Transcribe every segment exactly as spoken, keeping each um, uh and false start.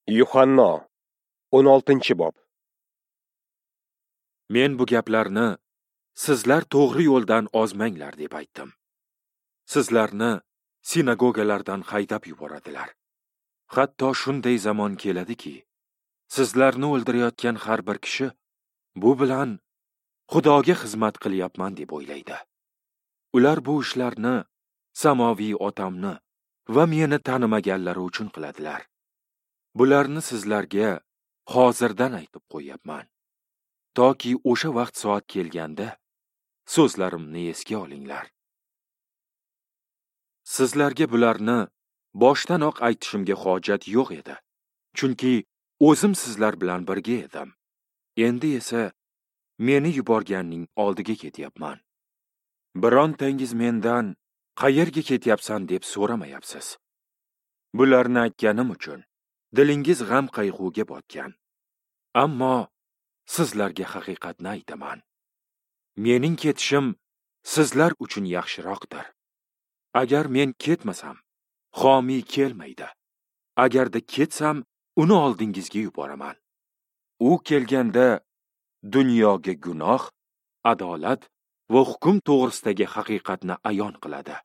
Yuhanno, o'n oltinchi bob. Men bu gaplarni sizlar to'g'ri yo'ldan ozmanglar deb aytdim. Sizlarni sinagogalardan haydab yuboradilar. Hatto shunday zamon keladiki, sizlarni o'ldirayotgan har bir kishi bu bilan Xudoga xizmat qilyapman deb o'ylaydi. Ular bu ishlarni samoviy otamni va meni tanimaganlari uchun qiladilar. Bularni sizlarga hozirdan aytib qo'yapman, toki o'sha vaqt soat kelganda so'zlarimni esga olinglar. Sizlarga bularni boshdanoq aytishimga hojat yo'q edi, chunki o'zim sizlar bilan birga edim. Endi esa meni yuborganning oldiga ketyapman. Birontangiz mendan qayerga ketyapsan deb so'ramayapsiz. Bularni aytganim uchun dilingiz g'am qayg'uga botgan. Ammo sizlarga haqiqatni aytaman. Mening ketishim sizlar uchun yaxshiroqdir. Agar men ketmasam, xomiy kelmaydi. Agarda ketsam, uni oldingizga yuboraman. U kelganda dunyoga gunoh, adolat va hukm to'g'risidagi haqiqatni ayon qiladi.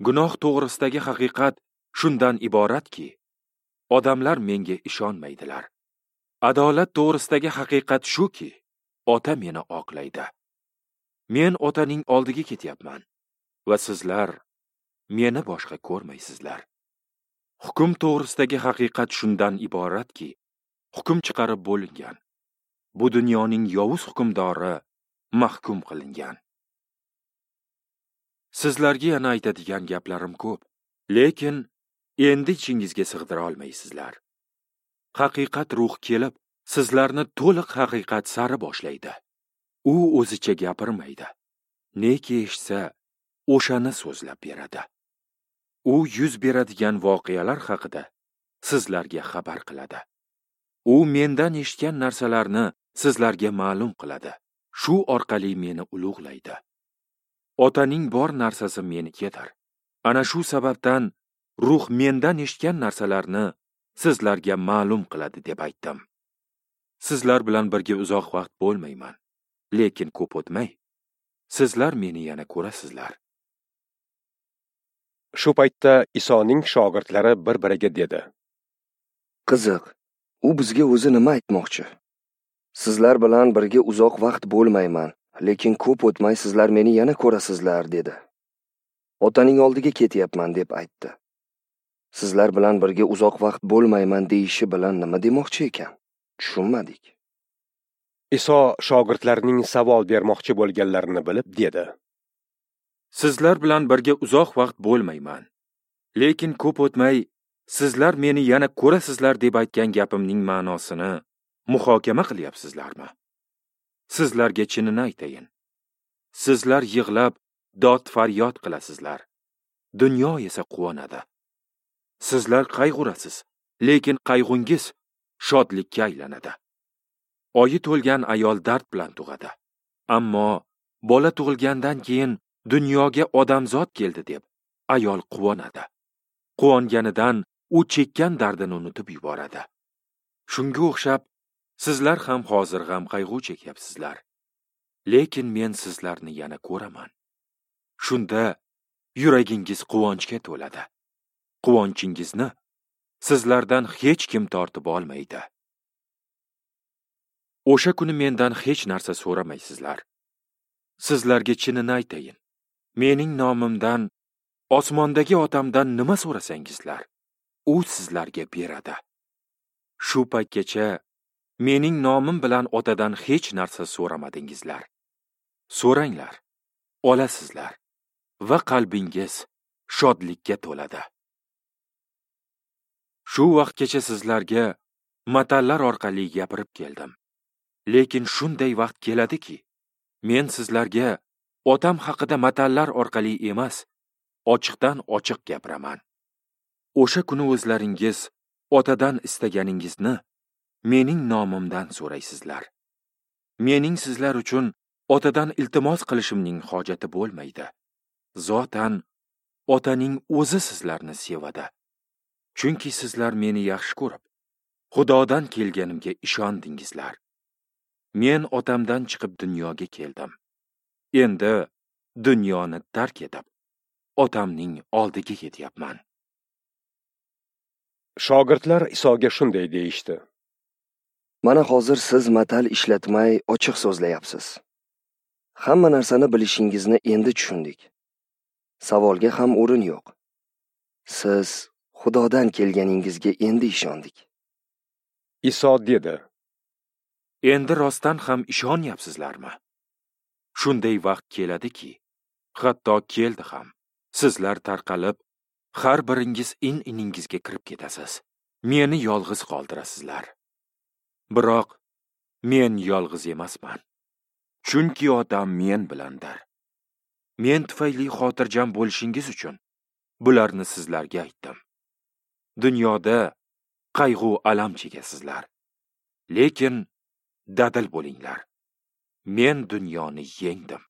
Gunoh to'g'risidagi haqiqat shundan iboratki, odamlar menga ishonmaydilar. Adolat to'g'risidagi haqiqat shuki, ota meni oqlaydi. Men otaning oldiga ketyapman va sizlar meni boshqa ko'rmaysizlar. Hukm to'g'risidagi haqiqat shundan iboratki, hukm chiqarib bo'lingan. Bu dunyoning yovuz hukmdori mahkum qilingan. Sizlarga yana aytadigan gaplarim ko'p, lekin endi ichingizga sig'dira olmaysizlar. Haqiqat ruh kelib, sizlarni to'liq haqiqat sari boshlaydi. U o'zicha gapirmaydi. Neki eshitsa, o'shani so'zlab beradi. U yuz beradigan voqealar haqida sizlarga xabar qiladi. U mendan eshitgan narsalarni sizlarga ma'lum qiladi. Shu orqali meni ulug'laydi. Otaning bor narsasi menikidir. Ana shu sababdan ruh mendan eshitgan narsalarni sizlarga ma'lum qiladi deb aytdim. Sizlar bilan birga uzoq vaqt bo'lmayman, lekin ko'p o'tmay sizlar meni yana ko'rasizlar. Shu paytda Isoning shogirdlari bir-biriga dedi: Qiziq, u bizga o'zi nima aytmoqchi? Sizlar bilan birga uzoq vaqt bo'lmayman, lekin ko'p o'tmay sizlar meni yana ko'rasizlar, dedi. Otaning oldiga ketyapman deb aytdi. Sizlar bilan birga uzoq vaqt bo'lmayman deyishi bilan nima demoqchi ekan? Tushunmadik. Iso shogirdlarining savol bermoqchi bo'lganlarini bilib dedi: Sizlar bilan birga uzoq vaqt bo'lmayman, lekin ko'p o'tmay sizlar meni yana ko'rasizlar deb aytgan gapimning ma'nosini muhokama qilyapsizlarmi? Sizlarga chinini aytayin. Sizlar yig'lab dod faryod qilasizlar. Dunyo esa quvonadi. Sizlar qayg'urasiz, lekin qayg'ungiz shodlikka aylanadi. Oyi to'lgan ayol dard bilan tug'adi. Ammo bola tug'ilgandan keyin dunyoga odamzod keldi deb ayol quvonadi. Quvonganidan u chekkan dardini unutib yuboradi. Shunga o'xshab sizlar ham hozir g'am qayg'u chekyapsizlar. Lekin men sizlarni yana ko'raman. Shunda yuragingiz quvonchga to'ladi. Quvonchingizni sizlardan hech kim tortib olmaydi. O'sha kuni mendan hech narsa so'ramaysizlar. Sizlarga chinini aytayin. Mening nomimdan osmondagi otamdan nima so'rasangizlar, u sizlarga beradi. Shu paytgacha mening nomim bilan otadan hech narsa so'ramadingizlar. So'ranglar, olasizlar va qalbingiz shodlikka to'ladi. Shu vaqtgacha sizlarga matallar orqali gapirib keldim. Lekin shunday vaqt keladiki, men sizlarga otam haqida matallar orqali emas, ochiqdan ochiq gapiraman. O'sha kuni o'zlaringiz otadan istaganingizni mening nomimdan so'raysizlar. Mening sizlar uchun otadan iltimos qilishimning hojati bo'lmaydi. Zotan otaning o'zi sizlarni sevadi. Chunki sizlar meni yaxshi ko'rib, Xudodan kelganimga ishondingizlar. Men Otamdan chiqib dunyoga keldim. Endi dunyoni tark etib, Otamning oldiga ketyapman. Shogirdlar Isoga shunday deyishdi: Mana hozir siz matal ishlatmay ochiq so'zlayapsiz. Hamma narsani bilishingizni endi tushundik. Savolga ham o'rin yo'q. Siz Xudodan kelganingizga endi ishondik. Iso dedi: Endi rostdan ham ishonyapsizlarmi? Shunday vaqt keladiki, hatto keldi ham, sizlar tarqalib, har biringiz in-iningizga kirib ketasiz. Meni yolg'iz qoldirasizlar. Biroq men yolg'iz emasman. Chunki Otam men bilandir. Men tufayli xotirjam bo'lishingiz uchun bularni sizlarga aytdim. Dunyoda qayg'u alam chekasizlar. Lekin dadil bo'linglar. Men dunyoni yengdim.